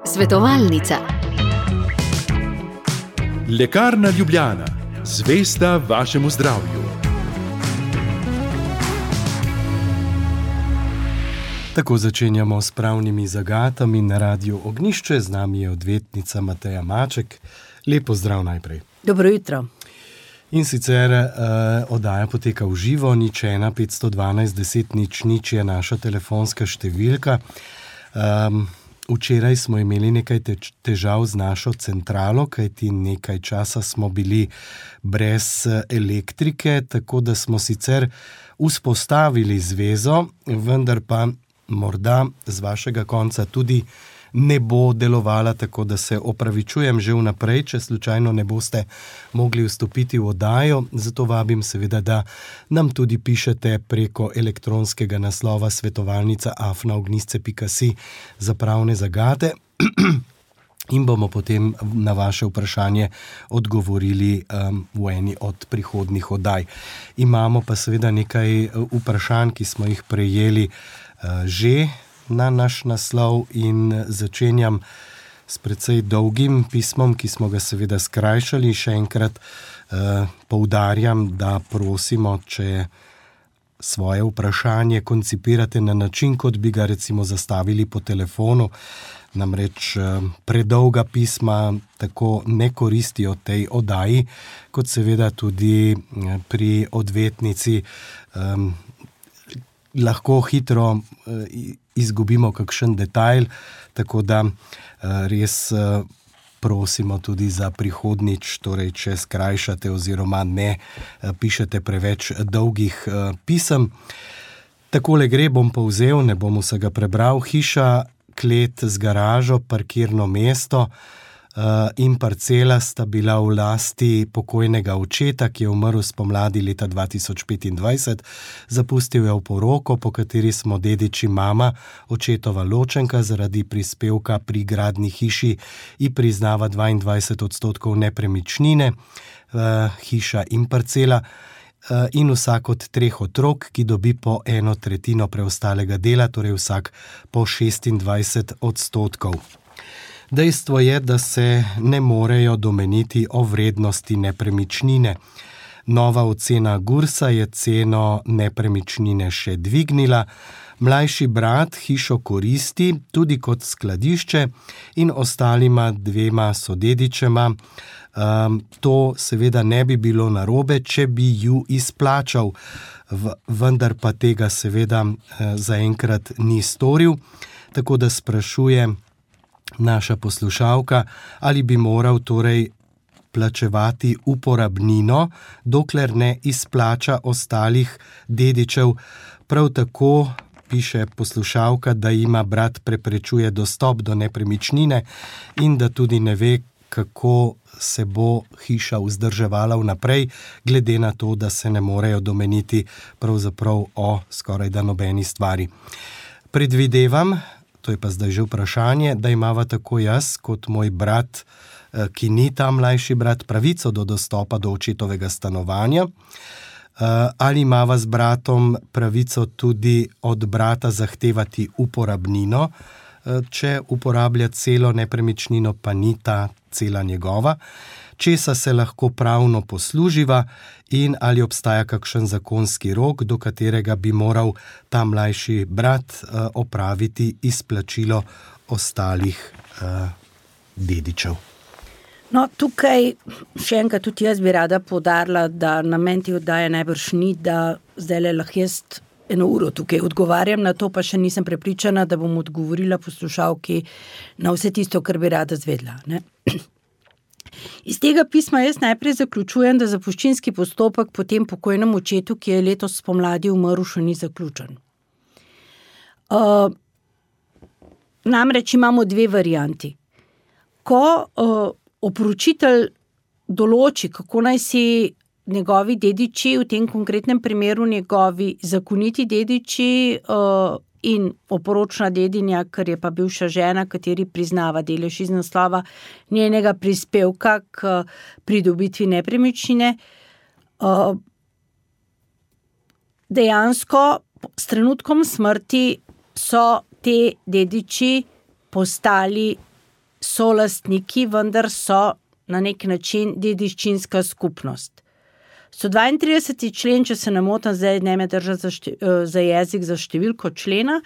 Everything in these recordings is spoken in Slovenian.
Svetovalnica. Lekarna Ljubljana, zvesta vašemu zdravju. Tako začenjamo s pravnimi zagatami na Radiu Ognjišče. Z nami je odvetnica Mateja Maček. Lep pozdrav najprej. Dobro jutro. In sicer oddaja poteka v živo, 01 512 10 00 je naša telefonska številka. Včeraj smo imeli nekaj težav z našo centralo, kajti nekaj časa smo bili brez elektrike, tako da smo sicer vzpostavili zvezo, vendar pa morda z vašega konca tudi ne bo delovala, tako da se opravičujem že vnaprej, če slučajno ne boste mogli vstopiti v oddajo. Zato vabim seveda, da nam tudi pišete preko elektronskega naslova svetovalnica@ognjisce.si za pravne zagate in bomo potem na vaše vprašanje odgovorili v eni od prihodnjih oddaj. Imamo pa seveda nekaj vprašanj, ki smo jih prejeli že na naš naslov in začenjam s precej dolgim pismom, ki smo ga seveda skrajšali. Še enkrat poudarjam, da prosimo, če svoje vprašanje koncipirate na način, kot bi ga recimo zastavili po telefonu. Namreč predolga pisma tako ne koristijo tej oddaji, kot seveda tudi pri odvetnici lahko hitro izgubimo kakšen detajl, tako da res prosimo tudi za prihodnjič, torej če skrajšate oziroma ne pišete preveč dolgih pisem. Takole gre, bom povzel, ne bom vsega prebral. Hiša, klet z garažo, parkirno mesto in parcela sta bila v lasti pokojnega očeta, ki je umrl spomladi leta 2025. Zapustil je poroko, po kateri smo dediči mama, očetova ločenka, zaradi prispevka pri gradni hiši in priznava 22% nepremičnine, hiša in parcela, in vsak od 3 otrok, ki dobi po 1/3 preostalega dela, torej vsak po 26%. Dejstvo je, da se ne morejo domeniti o vrednosti nepremičnine. Nova ocena Gursa je ceno nepremičnine še dvignila. Mlajši brat hišo koristi tudi kot skladišče in ostalima 2 sodedičema. To seveda ne bi bilo narobe, če bi ju izplačal, vendar pa tega seveda zaenkrat ni storil, tako da sprašuje naša poslušalka, ali bi moral torej plačevati uporabnino, dokler ne izplača ostalih dedičev. Prav tako piše poslušalka, da ima brat preprečuje dostop do nepremičnine in da tudi ne ve, kako se bo hiša vzdrževala vnaprej, glede na to, da se ne morejo domeniti pravzaprav o skorajda nobeni stvari. Predvidevam, to je pa zdaj že vprašanje, da imava tako jaz kot moj brat, ki ni ta mlajši brat, pravico do dostopa do očetovega stanovanja. Ali imava z bratom pravico tudi od brata zahtevati uporabnino, če uporablja celo nepremičnino, pa ni ta cela njegova, česa se lahko pravno posluživa in ali obstaja kakšen zakonski rok, do katerega bi moral ta mlajši brat opraviti izplačilo ostalih dedičev. No, tukaj še enkrat tudi jaz bi rada poudarila, da namen te oddaje najbrž ni, da zdaj lahko jaz 1 uro tukaj odgovarjam na to, pa še nisem prepričana, da bom odgovorila poslušalki na vse tisto, kar bi rada zvedla, ne? Iz tega pisma jaz najprej zaključujem, da zapuščinski postopek po tem pokojnem očetu, ki je letos spomladi umrl, še ni zaključen. Namreč imamo 2 varianti. Ko oporočitelj določi, kako naj si njegovi dediči, v tem konkretnem primeru njegovi zakoniti dediči in oporočna dedinja, ker je pa bivša žena, kateri priznava delež iz naslova njenega prispevka k pridobitvi nepremičnine, dejansko s trenutkom smrti so te dediči postali solastniki, vendar so na nek način dediščinska skupnost. 132. člen, če se ne motim, zdaj ne me držati za jezik za številko člena,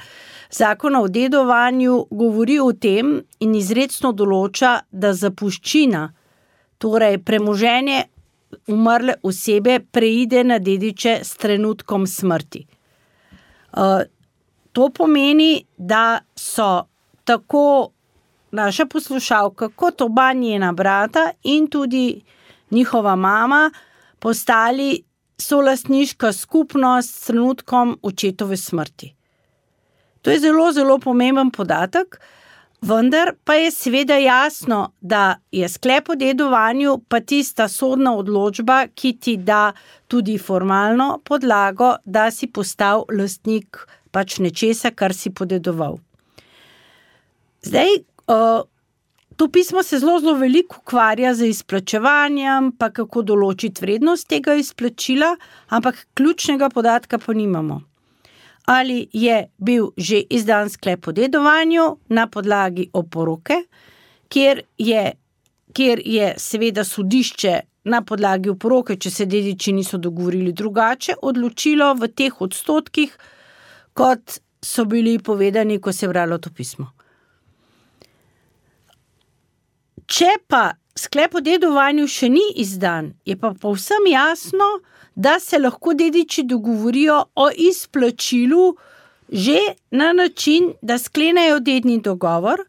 Zakona o dedovanju govori o tem in izrecno določa, da zapuščina, torej premoženje umrle osebe, preide na dediče s trenutkom smrti. To pomeni, da so tako naša poslušalka kot oba njena brata in tudi njihova mama postali solastniška skupnost s trenutkom očetove smrti. To je zelo, zelo pomemben podatek, vendar pa je seveda jasno, da je sklep o dedovanju pa tista sodna odločba, ki ti da tudi formalno podlago, da si postal lastnik pač nečesa, kar si podedoval. Zdaj, to pismo se zelo, zelo veliko ukvarja z izplačevanjem, pa kako določiti vrednost tega izplačila, ampak ključnega podatka pa nimamo. Ali je bil že izdan sklep o dedovanju na podlagi oporoke, kjer je seveda sodišče na podlagi oporoke, če se dediči niso dogovorili drugače, odločilo v teh odstotkih, kot so bili povedani, ko se je bralo to pismo. Če pa sklep o dedovanju še ni izdan, je pa povsem jasno, da se lahko dediči dogovorijo o izplačilu že na način, da sklenejo dedni dogovor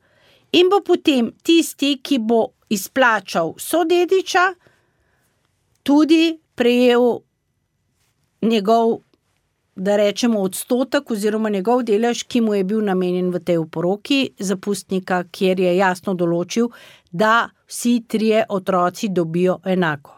in bo potem tisti, ki bo izplačal sodediča, tudi prejel njegov, da rečemo, odstotek oziroma njegov delež, ki mu je bil namenjen v tej oporoki zapustnika, kjer je jasno določil, da vsi trije otroci dobijo enako.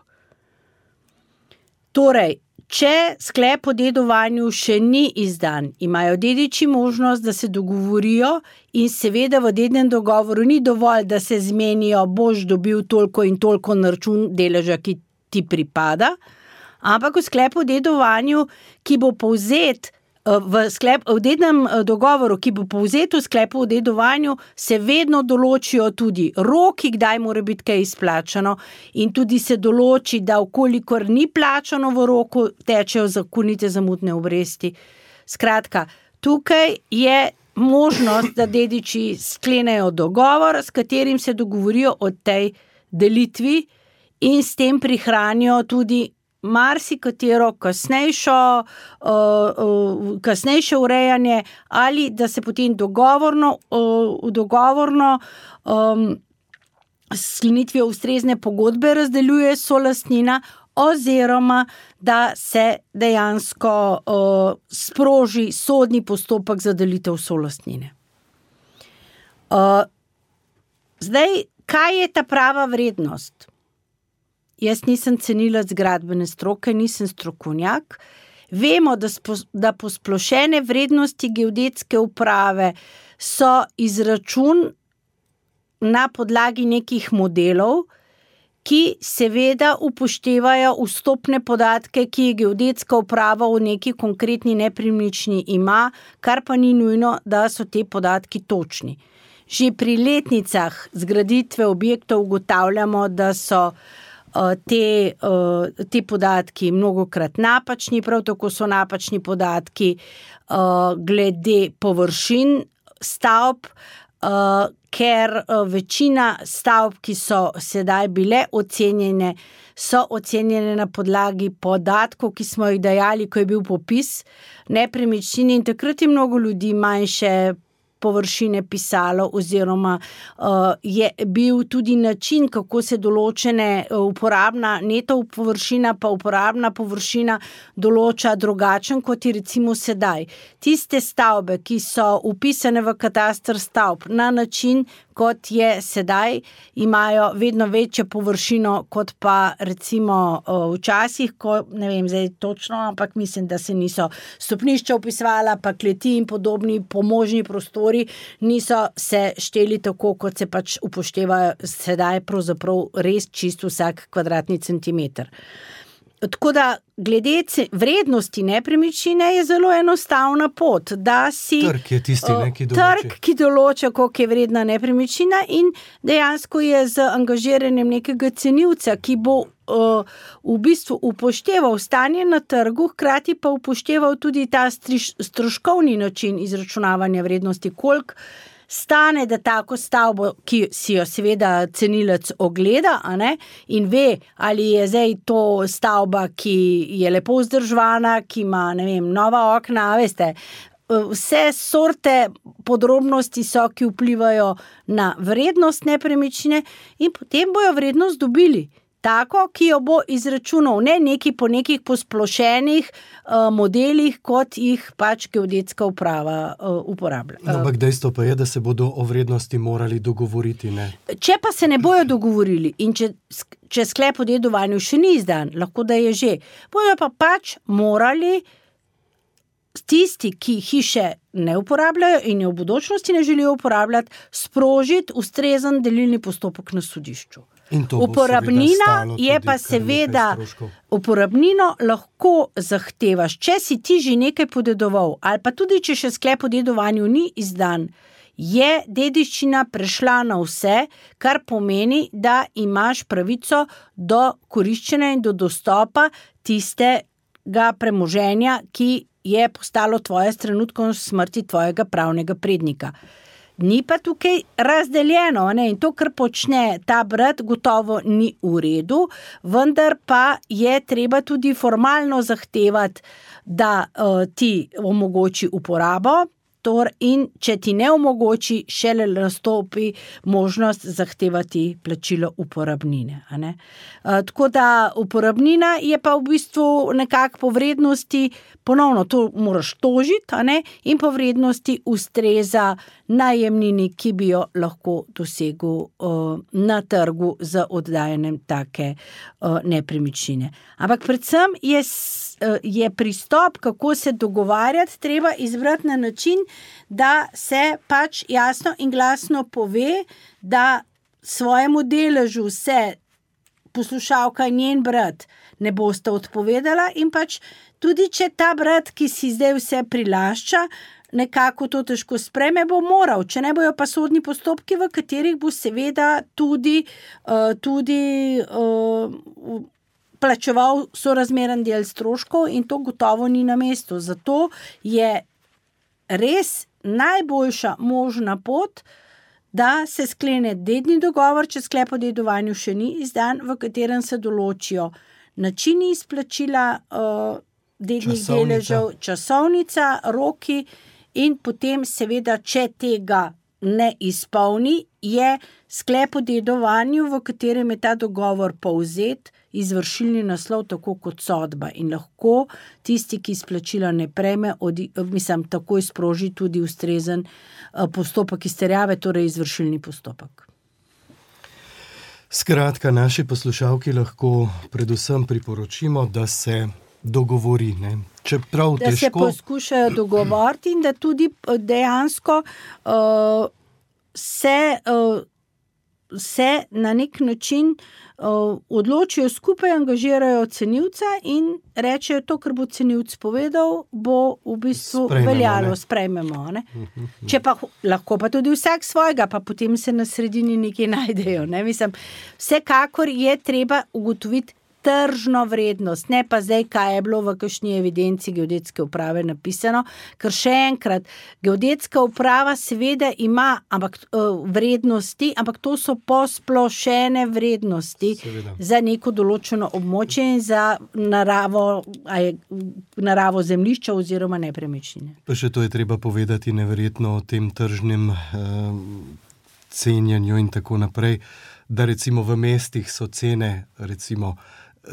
Torej, če sklep o dedovanju še ni izdan, imajo dediči možnost, da se dogovorijo in seveda v dednem dogovoru ni dovolj, da se zmenijo, boš dobil toliko in toliko na račun deleža, ki ti pripada, ampak v sklepu o dedovanju, ki bo povzet v dednem dogovoru, ki bo povzet v sklepu o dedovanju, se vedno določijo tudi roki, kdaj mora biti kaj izplačano in tudi se določi, da vkolikor ni plačano v roku, tečejo zakonite zamudne obresti. Skratka, tukaj je možnost, da dediči sklenejo dogovor, s katerim se dogovorijo o tej delitvi in s tem prihranijo tudi marsikatero kasnejše urejanje ali da se potem dogovorno s sklenitvijo ustrezne pogodbe razdeljuje solastnina oziroma da se dejansko sproži sodni postopek za delitev solastnine. Zdaj, kaj je ta prava vrednost? Jaz nisem cenilec gradbene stroke, nisem strokovnjak. Vemo, da posplošene vrednosti geodetske uprave so izračun na podlagi nekih modelov, ki seveda upoštevajo vstopne podatke, ki je geodetska uprava v neki konkretni nepremičnini ima, kar pa ni nujno, da so te podatki točni. Že pri letnicah zgraditve objektov ugotavljamo, da so te podatki mnogokrat napačni, prav tako so napačni podatki glede površin stavb, ker večina stavb, ki so sedaj bile ocenjene, so ocenjene na podlagi podatkov, ki smo jih dajali, ko je bil popis nepremičnin in takrat je mnogo ljudi manjše površine pisalo oziroma je bil tudi način, kako se določene uporabna neto površina pa uporabna površina določa drugačen, kot je recimo sedaj. Tiste stavbe, ki so vpisane v kataster stavb na način, kot je sedaj, imajo vedno večjo površino, kot pa recimo včasih, ko ne vem zdaj točno, ampak mislim, da se niso stopnišča vpisovala, pa kleti in podobni pomožni prostori niso se šteli tako, kot se pač upoštevajo sedaj pravzaprav res čisto vsak kvadratni centimeter. Tako da, glede vrednosti nepremičnine je zelo enostavna pot, da si Trg je tisti, trg, ki določa, koliko je vredna nepremičnina in dejansko je z angažiranjem nekega cenilca, ki bo v bistvu upošteval stanje na trgu, hkrati pa upošteval tudi ta stroškovni način izračunavanja vrednosti, koliko stane, da tako stavbo, ki si jo seveda cenilec ogleda, a ne, in ve, ali je zdaj to stavba, ki je lepo vzdrževana, ki ima, ne vem, nova okna, veste, vse sorte podrobnosti so, ki vplivajo na vrednost nepremičnine in potem bojo vrednost dobili. Tako, ki jo bo izračunal, ne neki po nekih posplošenih modelih, kot jih pač geodetska uprava uporablja. Ampak dejstvo pa je, da se bodo o vrednosti morali dogovoriti, ne? Če pa se ne bojo dogovorili in če sklep o dedovanju še ni izdan, lahko da je že, bojo pa pač morali tisti, ki hiše ne uporabljajo in jo v bodočnosti ne želijo uporabljati, sprožiti ustrezen delilni postopek na sodišču. Uporabnina je pa seveda, uporabnino lahko zahtevaš, če si ti že nekaj podedoval, ali pa tudi, če še sklep o dedovanju ni izdan, je dediščina prešla na vse, kar pomeni, da imaš pravico do koriščenja in do dostopa tistega premoženja, ki je postalo tvoje s trenutkom smrti tvojega pravnega prednika. Ni pa tukaj razdeljeno, ne? In to, kar počne ta brat, gotovo ni v redu, vendar pa je treba tudi formalno zahtevati, da ti omogoči uporabo, in če ti ne omogoči, šele nastopi možnost zahtevati plačilo uporabnine. A ne? Tako da uporabnina je pa v bistvu nekako po vrednosti, ponovno to moraš tožiti, a ne? In po vrednosti ustreza najemnini, ki bi jo lahko dosegel na trgu z oddajanjem take nepremičnine. Ampak predvsem je pristop, kako se dogovarjati, treba izbrati na način, da se pač jasno in glasno pove, da svojemu deležu se poslušalka in njen brat ne bosta odpovedala in pač tudi, če ta brat, ki si zdaj vse prilašča, nekako to težko spreme, bo moral, če ne bojo pa sodni postopki, v katerih bo seveda tudi plačeval sorazmeren del stroškov in to gotovo ni na mestu. Zato je res najboljša možna pot, da se sklene dedni dogovor, če sklep o dedovanju še ni izdan, v katerem se določijo načini izplačila dednih deležev, časovnica, roki in potem seveda, če tega ne izpolni, je sklep o dedovanju, v katerem je ta dogovor povzet, izvršilni naslov, tako kot sodba in lahko tisti, ki izplačila ne prejme, takoj sproži tudi ustrezen postopek izterjave, torej izvršilni postopek. Skratka, naši poslušalki lahko predvsem priporočimo, da se dogovori, ne? Čeprav težko. Da se poskušajo dogovoriti in da tudi dejansko se na nek način odločijo skupaj, angažirajo cenilca in rečejo to, kar bo cenilc povedal, bo v bistvu veljalo, sprejmemo. Ne? Če pa lahko pa tudi vsak svojega, pa potem se na sredini nekaj najdejo. Ne? Mislim, vsekakor je treba ugotoviti tržno vrednost, ne pa zdaj, kaj je bilo v kakšni evidenci geodetske uprave napisano, ker še enkrat, geodetska uprava seveda ima vrednosti, ampak to so posplošene vrednosti za neko določeno območje in za naravo zemljišča oziroma nepremičnine. Pa še to je treba povedati neverjetno o tem tržnem cenjanju in tako naprej, da recimo v mestih so cene recimo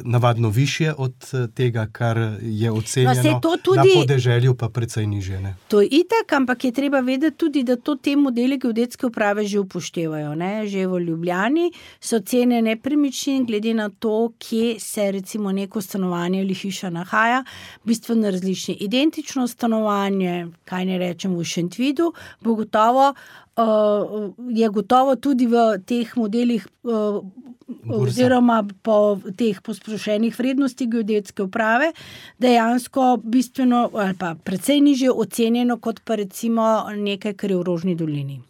navadno višje od tega, kar je ocenjeno, na podeželju pa precej nižje. Ne? To je itak, ampak je treba vedeti tudi, da to te modeli geodetske uprave že upoštevajo. Ne? Že v Ljubljani so cene nepremičnin, glede na to, kje se recimo neko stanovanje ali hiša nahaja, bistveno različni. Identično stanovanje, kaj ne rečem, v Šentvidu, je gotovo tudi v teh modelih oziroma po teh posplošenih vrednosti geodetske uprave dejansko bistveno ali pa precej nižje ocenjeno kot pa recimo nekaj, kar je v Rožni dolini.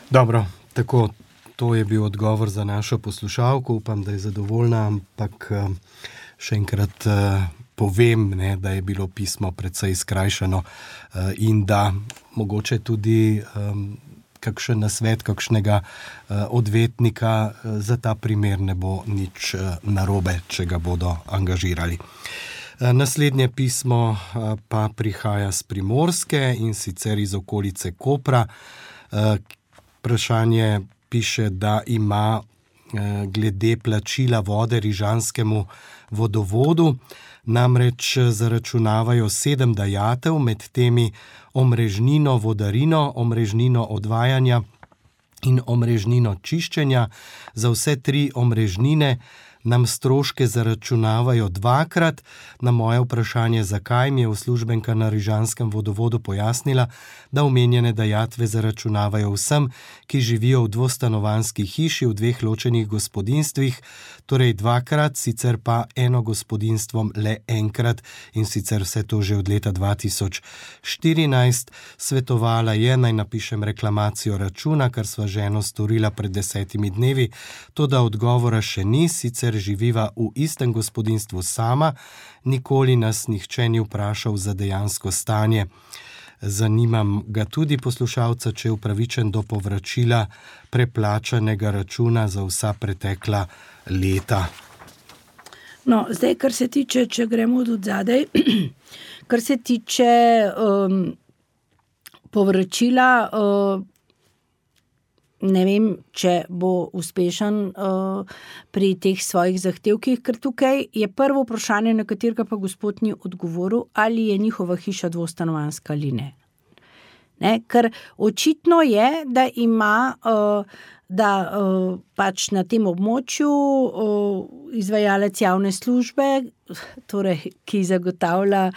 Dobro, tako, to je bil odgovor za našo poslušalko, upam, da je zadovoljna, ampak še enkrat povem, ne, da je bilo pismo precej skrajšano in da mogoče tudi kakšen nasvet, kakšnega odvetnika za ta primer ne bo nič narobe, če ga bodo angažirali. Naslednje pismo pa prihaja z Primorske in sicer iz okolice Kopra. Vprašanje piše, da ima glede plačila vode rižanskemu vodovodu, namreč zaračunavajo 7 dajatev, med temi omrežnino vodarino, omrežnino odvajanja in omrežnino čiščenja. Za vse 3 omrežnine nam stroške zaračunavajo 2-krat. Na moje vprašanje, zakaj, mi je uslužbenka na rižanskem vodovodu pojasnila, da omenjene dajatve zaračunavajo vsem, ki živijo v dvostanovanjski hiši v 2 ločenih gospodinjstvih, torej 2-krat, sicer pa eno gospodinjstvom le 1-krat in sicer vse to že od leta 2014. Svetovala je, naj napišem reklamacijo računa, kar sva ženo storila pred 10 dnevi, toda odgovora še ni, sicer živiva v istem gospodinjstvu sama, nikoli nas nihče ni vprašal za dejansko stanje. Zanimam ga tudi poslušalca, če je upravičen do povračila preplačanega računa za vsa pretekla leta. No, zdaj, kar se tiče, če gremo od zadaj, kar se tiče povračila, ne vem, če bo uspešen pri teh svojih zahtevkih, ker tukaj je prvo vprašanje, na katerega pa gospod ni odgovoril, ali je njihova hiša dvostanovanjska ali ne. Ker očitno je, da ima pač na tem območju izvajalec javne službe, torej, ki zagotavlja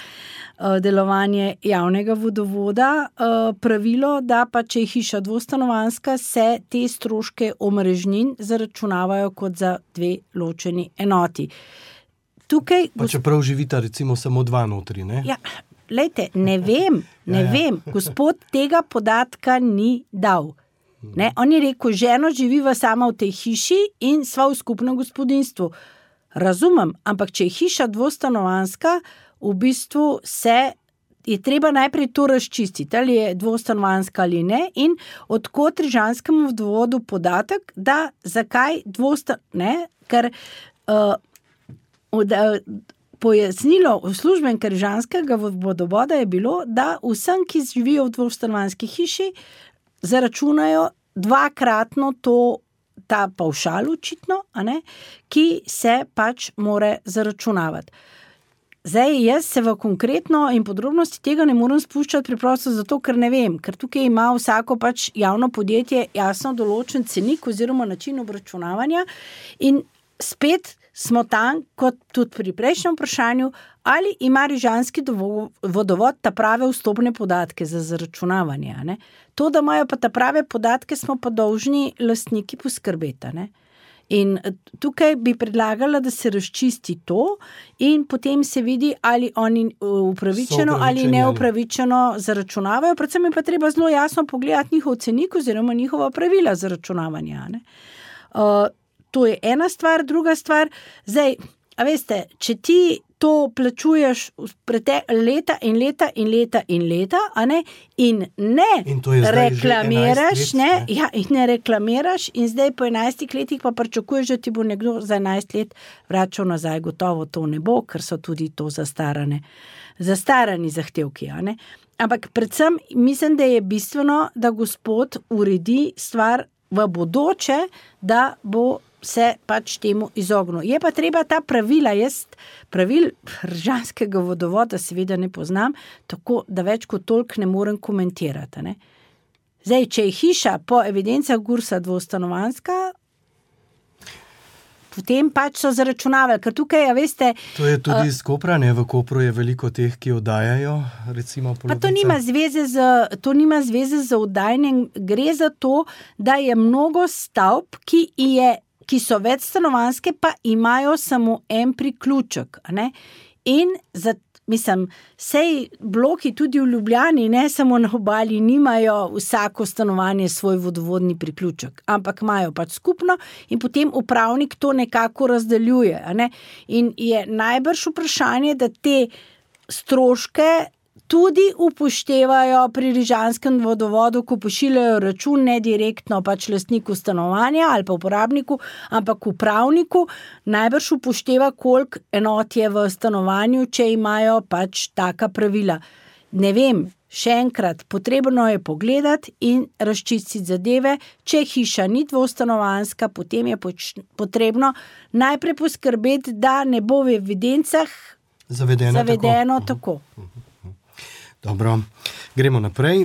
delovanje javnega vodovoda, pravilo, da pa če je hiša dvostanovanjska, se te stroške omrežnin zaračunavajo kot za 2 ločeni enoti. Tukaj, pa čeprav živita recimo samo 2 notri, ne? Ja, lejte, ne vem, gospod tega podatka ni dal. Ne, on je rekel, ženo živiva sama v tej hiši in sva v skupnem gospodinjstvu. Razumem, ampak če je hiša dvostanovanjska, v bistvu je treba najprej to razčistiti, ali je dvostanovanjska ali ne, in odkot rižanskemu vodovodu podatek, da zakaj ker pojasnilo uslužbenke rižanskega vodovoda je bilo, da vsem, ki živijo v dvostanovanjski hiši, zaračunajo 2-kratno ta pavšal očitno, ki se pač more zaračunavati. Zdaj, jaz se v konkretno in podrobnosti tega ne morem spuščati preprosto zato, ker ne vem, ker tukaj ima vsako pač javno podjetje jasno določen cenik oziroma način obračunavanja in spet smo tam, kot tudi pri prejšnjem vprašanju, ali ima rižanski vodovod ta prave vstopne podatke za zaračunavanje. To, da imajo pa ta prave podatke, smo pa dolžni lastniki poskrbeti. In tukaj bi predlagala, da se razčisti to in potem se vidi, ali oni upravičeno ali neupravičeno zaračunavajo. Predvsem je pa treba zelo jasno pogledati njihov cenik oziroma njihova pravila zaračunavanja. To je ena stvar, druga stvar. Zdaj, a veste, če ti to plačuješ leta in leta in leta in leta, in ne reklamiraš, in ne reklamiraš in zdaj po 11 letih pa pričakuješ, da ti bo nekdo za 11 let vračal nazaj, gotovo to ne bo, ker so tudi to zastarani zahtevki, Ampak predvsem mislim, da je bistveno, da gospod uredi stvar v bodoče, da bo se pač temu izognil. Je pa treba ta pravila, pravil rižanskega vodovoda seveda ne poznam, tako da več kot toliko ne morem komentirati. Zdaj, če je hiša po evidencah GURS-a dvostanovanjska, potem pač so zaračunavali, ker tukaj, veste... To je tudi iz Kopra, ne? V Kopru je veliko teh, ki oddajajo, recimo polovica. Pa to nima zveze z oddajanjem, gre za to, da je mnogo stavb, ki je ki so večstanovanjske, pa imajo samo en priključek. Ne? In sej bloki tudi v Ljubljani, ne samo na obali, nimajo vsako stanovanje svoj vodovodni priključek, ampak imajo pač skupno in potem upravnik to nekako razdeljuje. Ne? In je najbrž vprašanje, da te stroške tudi upoštevajo pri rižanskem vodovodu, ko pošiljajo račun ne direktno pač lastniku stanovanja ali pa uporabniku, ampak upravniku, najbrž upošteva, koliko enot je v stanovanju, če imajo pač taka pravila. Ne vem, še enkrat, potrebno je pogledati in razčistiti zadeve. Če hiša ni dvostanovanjska, potem je potrebno najprej poskrbeti, da ne bo v evidencah zavedeno tako. Dobro, gremo naprej.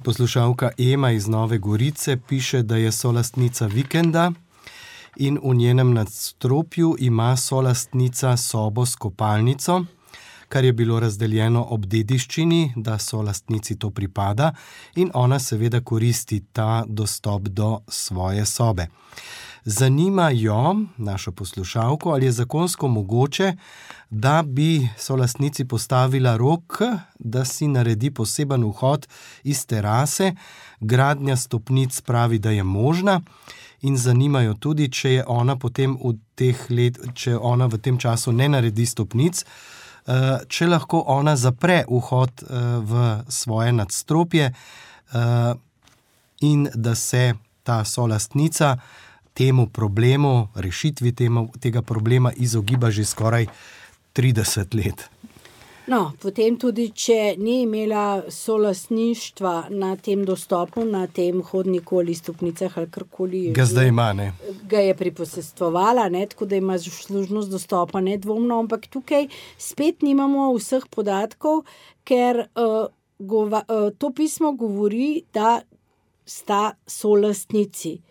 Poslušalka Ema iz Nove Gorice piše, da je solastnica vikenda in v njenem nadstropju ima solastnica sobo s kopalnico, kar je bilo razdeljeno ob dediščini, da solastnici to pripada in ona seveda koristi ta dostop do svoje sobe. Zanima jo, našo poslušalko, ali je zakonsko mogoče, da bi solastnici postavila rok, da si naredi poseben vhod iz terase. Gradnja stopnic pravi, da je možna in zanimajo tudi, če je ona potem če ona v tem času ne naredi stopnic, če lahko ona zapre vhod v svoje nadstropje in da se ta solastnica temu problemu, rešitvi tega problema izogiba že skoraj 30 let. No, potem tudi, če ni imela solastništva na tem dostopu, na tem hodniku ali stopnicah ali karkoli. Ga zdaj ima, ne? Ga je priposestvovala, ne, tako da ima služnost dostopa nedvomno, ampak tukaj spet nimamo vseh podatkov, ker to pismo govori, da sta solastnici.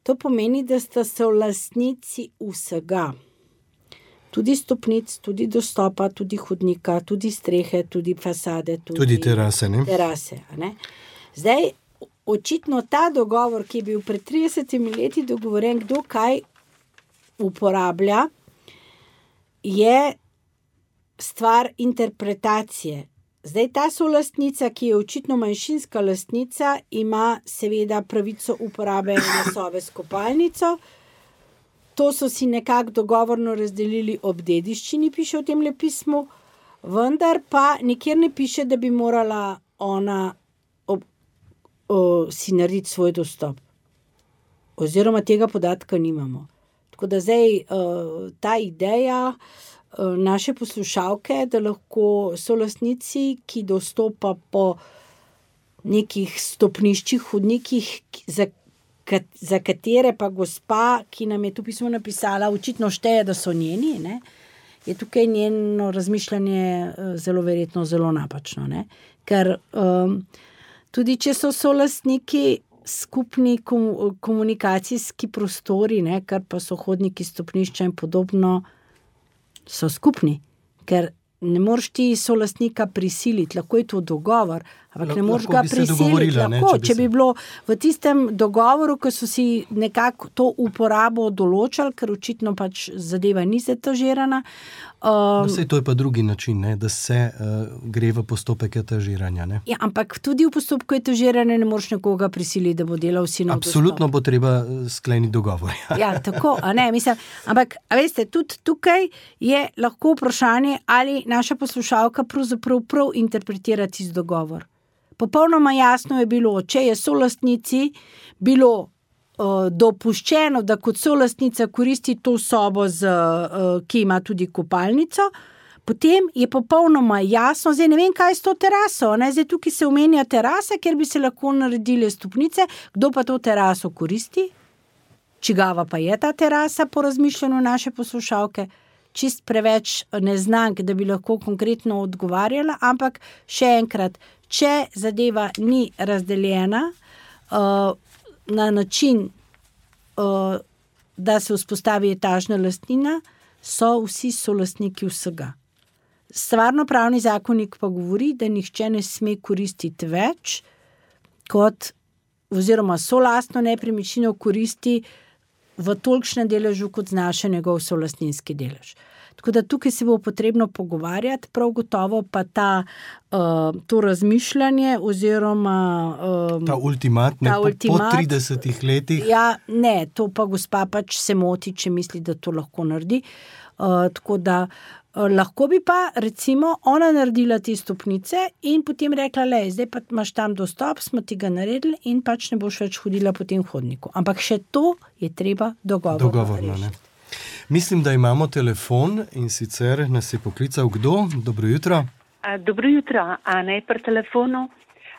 To pomeni, da sta solastnici vsega. Tudi stopnic, tudi dostopa, tudi hodnika, tudi strehe, tudi fasade. Tudi terase, ne? Terase, ne? Zdaj, očitno ta dogovor, ki je bil pred 30 leti dogovoren, kdo kaj uporablja, je stvar interpretacije. Zdaj, ta solastnica, ki je očitno manjšinska lastnica, ima seveda pravico uporabe ene sobe s kopalnico. To so si nekako dogovorno razdelili ob dediščini, piše v tem pismu, vendar pa nikjer ne piše, da bi morala ona si narediti svoj dostop. Oziroma tega podatka nimamo. Tako da zdaj ta ideja naše poslušalke, da lahko solastnici, ki dostopa po nekih stopniščih, hodnikih, za katere pa gospa, ki nam je tu pismo napisala, očitno šteje, da so njeni, ne, je tukaj njeno razmišljanje zelo verjetno zelo napačno. Ne? Ker tudi če so solastniki skupni komunikacijski prostori, ne, kar pa so hodniki, stopnišča in podobno, so skupni, ker ne moreš ti solastnika prisiliti, lahko je to dogovor, ampak ne moreš ga prisiliti. Lahko, če bi bilo v tistem dogovoru, ko so si nekako to uporabo določali, ker očitno pač zadeva ni zetažirana. Saj to je pa drugi način, ne, da se gre v postopek etažiranja. Ne? Ja, ampak tudi v postopku etažiranja ne moreš nekoga prisiliti, da bo delal vsi na dostop. Absolutno bo treba skleniti dogovor. Ja, tako, a ne, mislim, ampak, a veste, tudi tukaj je lahko vprašanje, ali naša poslušalka pravzaprav prav interpretira tisti dogovor. Popolnoma jasno je bilo, če je solastnici bilo dopuščeno, da kot solastnica koristi to sobo, ki ima tudi kopalnico, potem je popolnoma jasno, zdaj ne vem, kaj je s to teraso, ne? Zdaj tukaj se omenja terasa, kjer bi se lahko naredile stopnice, kdo pa to teraso koristi? Čigava pa je ta terasa po razmišljanju naše poslušalke? Čist preveč neznank, da bi lahko konkretno odgovarjala, ampak še enkrat, če zadeva ni razdeljena na način, da se vzpostavi etažna lastnina, so vsi solastniki vsega. Stvarnopravni zakonik pa govori, da nihče ne sme koristiti več, kot oziroma solastno nepremičnino koristi v tolikšnem deležu, kot znaša njegov solastninski delež. Tako da tukaj se bo potrebno pogovarjati, prav gotovo pa to razmišljanje oziroma ta ultimat po 30 letih. Ja, ne, to pa gospa pač se moti, če misli, da to lahko naredi. Tako da lahko bi pa recimo ona naredila te stopnice in potem rekla, zdaj pa imaš tam dostop, smo ti ga naredili in pač ne boš več hodila po tem hodniku. Ampak še to je treba dogovorno ne? Mislim, da imamo telefon in sicer nas je poklical kdo? Dobro jutro. Dobro jutro, Ana je pri telefonu.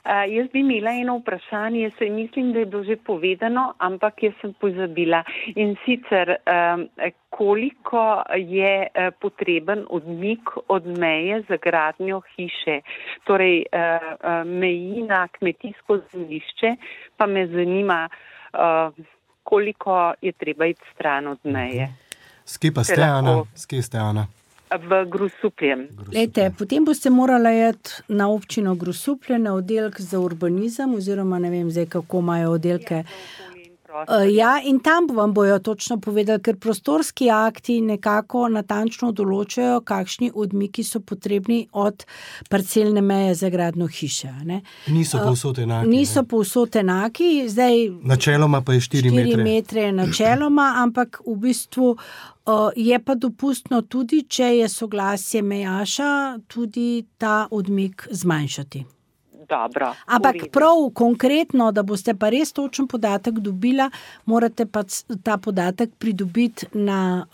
Jaz bi imela eno vprašanje, saj mislim, da je bilo že povedano, ampak jaz sem pozabila. In sicer, koliko je potreben odmik od meje za gradnjo hiše, torej meji na kmetijsko zemljišče, pa me zanima, koliko je treba iti stran od meje. Skje pa ste, Ana? Skje ste, Ana? V Grosupljem. Lejte, potem boste morali iti na občino Grosuplje, na oddelek za urbanizem, oziroma ne vem zdaj, kako imajo oddelke. Ja, in tam vam bojo točno povedali, ker prostorski akti nekako natančno določajo, kakšni odmiki so potrebni od parcelne meje za gradnjo hiše. Ne? Niso povsod enaki. Niso povsod enaki. Zdaj, načeloma pa je 4 metre. 4 metre načeloma, ampak v bistvu je pa dopustno tudi, če je soglasje mejaša, tudi ta odmik zmanjšati. Dobro. Ampak prav konkretno, da boste pa res točen podatek dobila, morate pa ta podatek pridobiti na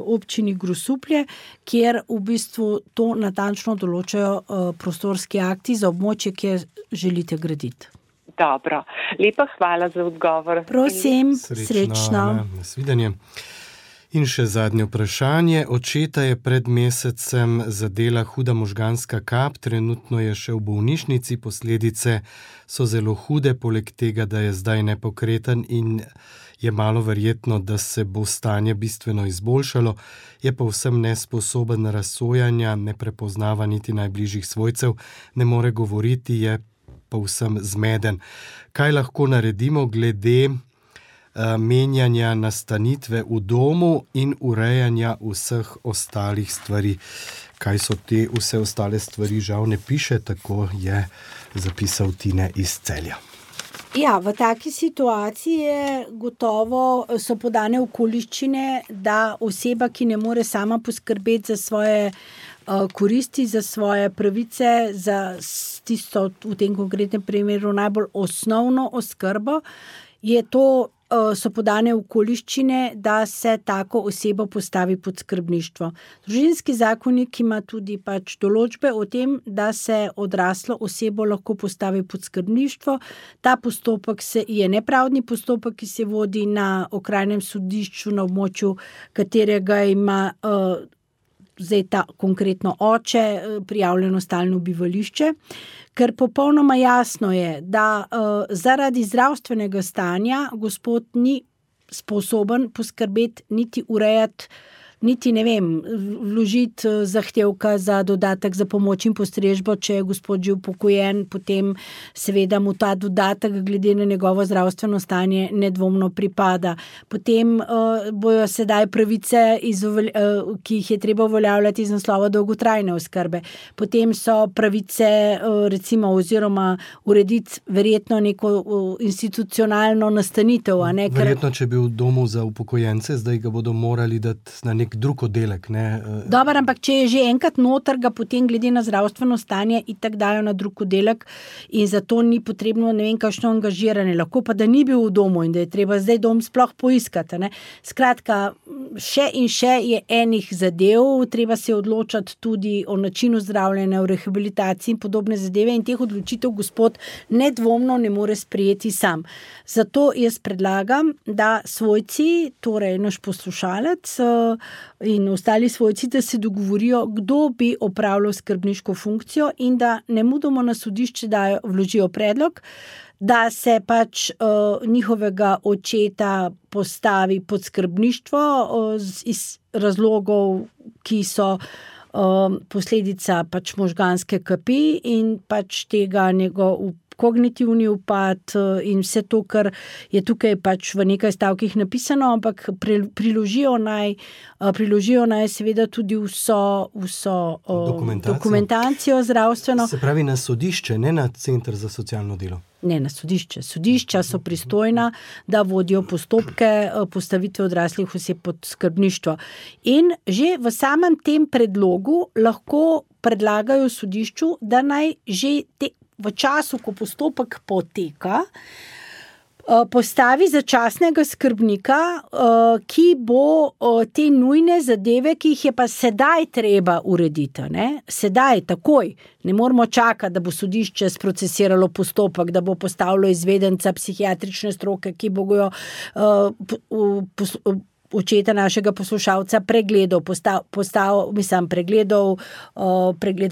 občini Grosuplje, kjer v bistvu to natančno določajo prostorski akti za območje, kjer želite graditi. Dobro. Lepa hvala za odgovor. Prosim, srečno. Nasvidenje. In še zadnje vprašanje. Očeta je pred mesecem zadela huda možganska kap, trenutno je še v bolnišnici, posledice so zelo hude, poleg tega, da je zdaj nepokreten in je malo verjetno, da se bo stanje bistveno izboljšalo, je pa vsem nesposoben razsojanja, ne prepoznava niti najbližjih svojcev, ne more govoriti, je pa vsem zmeden. Kaj lahko naredimo glede menjanja nastanitve v domu in urejanja vseh ostalih stvari? Kaj so te vse ostale stvari, žal ne piše, tako je zapisal Tine iz Celja. Ja, v taki situaciji gotovo so podane okoliščine, da oseba, ki ne more sama poskrbeti za svoje koristi, za svoje pravice, za tisto v tem konkretnem primeru najbolj osnovno oskrbo, so podane okoliščine, da se tako osebo postavi pod skrbništvo. Družinski zakonik ima tudi pač določbe o tem, da se odraslo osebo lahko postavi pod skrbništvo. Ta postopek je nepravdni postopek, ki se vodi na okrajnem sodišču na območju, katerega ima zdaj ta konkretno oče prijavljeno stalno bivališče, ker popolnoma jasno je, da zaradi zdravstvenega stanja gospod ni sposoben poskrbeti niti urejati, niti ne vem, vložiti zahtevka za dodatek za pomoč in postrežbo, če je gospod že upokojen, potem seveda mu ta dodatek glede na njegovo zdravstveno stanje nedvomno pripada. Potem bojo sedaj pravice, ki jih je treba uveljavljati iz naslova dolgotrajne oskrbe. Potem so pravice recimo oziroma urediti verjetno neko institucionalno nastanitev. Verjetno, če bi v domu za upokojence, zdaj ga bodo morali dati na nek drug oddelek, ne? Dobar, ampak če je že enkrat noter, ga potem glede na zdravstveno stanje itak dajo na drug oddelek in zato ni potrebno ne vem kakšno angažiranje. Lahko pa, da ni bil v domu in da je treba zdaj dom sploh poiskati. Ne? Skratka, še in še je enih zadev, treba se odločati tudi o načinu zdravljenja, o rehabilitaciji in podobne zadeve in teh odločitev gospod nedvomno ne more sprejeti sam. Zato jaz predlagam, da svojci, torej naš poslušalec in ostali svojci, da se dogovorijo, kdo bi opravljal skrbniško funkcijo in da nemudoma na sodišče vložijo predlog, da se pač njihovega očeta postavi pod skrbništvo iz razlogov, ki so posledica pač možganske kapi in pač tega kognitivni upad in vse to, kar je tukaj pač v nekaj stavkih napisano, ampak priložijo naj seveda tudi vso dokumentacijo zdravstveno. Se pravi na sodišče, ne na Center za socialno delo? Ne, na sodišče. Sodišča so pristojna, da vodijo postopke postavitve odraslih oseb pod skrbništvo. In že v samem tem predlogu lahko predlagajo sodišču, da naj že v času, ko postopek poteka, postavi začasnega skrbnika, ki bo te nujne zadeve, ki jih je pa sedaj treba urediti. Ne? Sedaj, takoj. Ne moramo čakati, da bo sodišče sprocesiralo postopek, da bo postavilo izvedenca psihiatrične stroke, ki bo go očeta našega poslušalca pregledal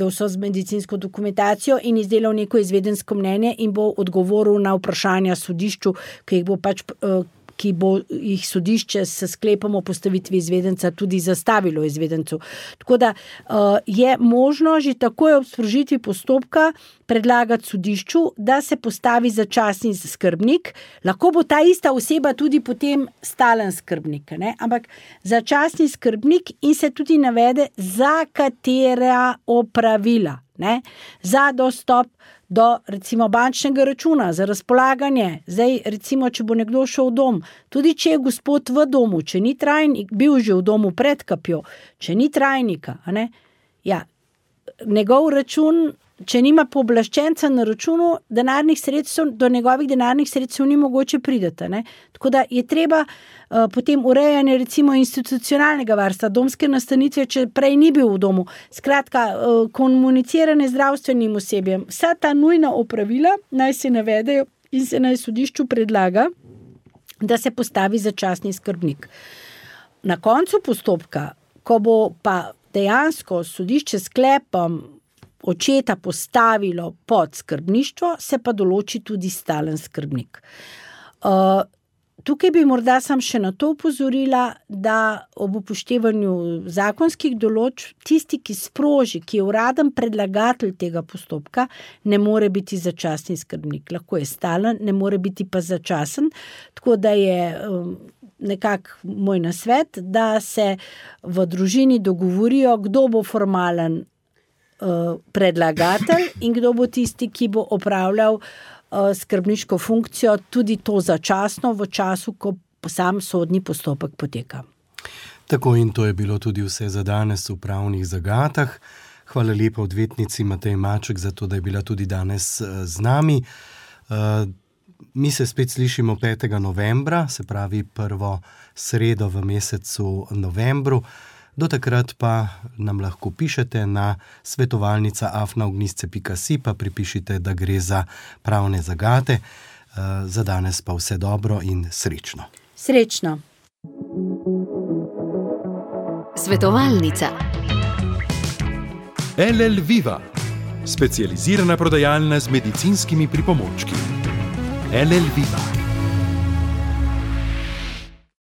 vso medicinsko dokumentacijo in izdelal neko izvedensko mnenje in bo odgovoril na vprašanja sodišču, ki bo jih sodišče s sklepom o postavitvi izvedenca tudi zastavilo izvedencu. Tako da je možno že takoj ob sprožitvi postopka predlagati sodišču, da se postavi začasni skrbnik. Lahko bo ta ista oseba tudi potem stalen skrbnik, ne? Ampak začasni skrbnik in se tudi navede, za katera opravila, ne? Za dostop do recimo bančnega računa, za razpolaganje. Zdaj recimo, če bo nekdo šel v dom, tudi če je gospod v domu, če ni trajnik, bil že v domu pred kapjo, če ni trajnika, ne? Ja, njegov račun, če nima pooblaščenca na računu, do njegovih denarnih sredstev ni mogoče priti, ne? Tako da je treba potem urejanje recimo institucionalnega varstva, domske nastanitve, če prej ni bil v domu. Skratka, komuniciranje z zdravstvenim osebjem. Vsa ta nujna opravila naj se navedejo in se naj sodišču predlaga, da se postavi začasni skrbnik. Na koncu postopka, ko bo pa dejansko sodišče sklepom očeta postavilo pod skrbništvo, se pa določi tudi stalen skrbnik. Tukaj bi morda sam še na to upozorila, da ob upoštevanju zakonskih določb tisti, ki sproži, ki je uraden predlagatelj tega postopka, ne more biti začasni skrbnik. Lahko je stalen, ne more biti pa začasen, tako da je nekako moj nasvet, da se v družini dogovorijo, kdo bo formalen predlagatelj in kdo bo tisti, ki bo opravljal skrbniško funkcijo, tudi to začasno v času, ko sam sodni postopek poteka. Tako in to je bilo tudi vse za danes v pravnih zagatah. Hvala lepa odvetnici Mateji Maček za to, da je bila tudi danes z nami. Mi se spet slišimo 5. novembra, se pravi prvo sredo v mesecu novembru. Do takrat pa nam lahko pišete na svetovalnica@ognisce.si, pa pripišite, da gre za pravne zagate. Za danes pa vse dobro in srečno. Srečno. Svetovalnica. LL Viva, specializirana prodajalna z medicinskimi pripomočki. LL Viva.